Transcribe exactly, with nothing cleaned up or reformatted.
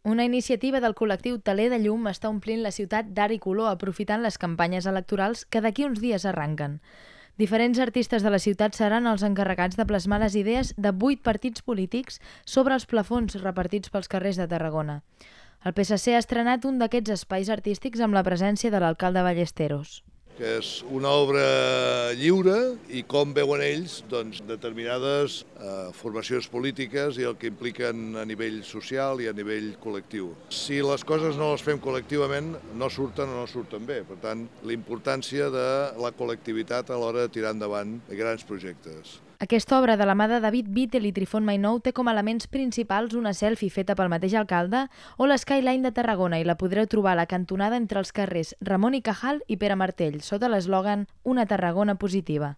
Una iniciativa del col·lectiu Teler de Llum està omplint la ciutat d'art i color aprofitant les campanyes electorals que d'aquí uns dies arranquen. Diferents artistes de la ciutat seran els encarregats de plasmar les idees de vuit partits polítics sobre els plafons repartits pels carrers de Tarragona. El P S C ha estrenat un d'aquests espais artístics amb la presència de l'alcalde Ballesteros. Que és una obra lliure i com veuen ells doncs, determinades eh, formacions polítiques i el que impliquen a nivell social i a nivell col·lectiu. Si les coses no les fem col·lectivament, no surten o no surten bé. Per tant, la importància de la col·lectivitat a l'hora de tirar endavant grans projectes. Aquesta obra de la mà de David Vittel i Trifon Mainou té com a elements principals una selfie feta pel mateix alcalde o l'Skyline de Tarragona i la podreu trobar a la cantonada entre els carrers Ramon i Cajal i Pere Martell, sota l'eslògan Una Tarragona positiva.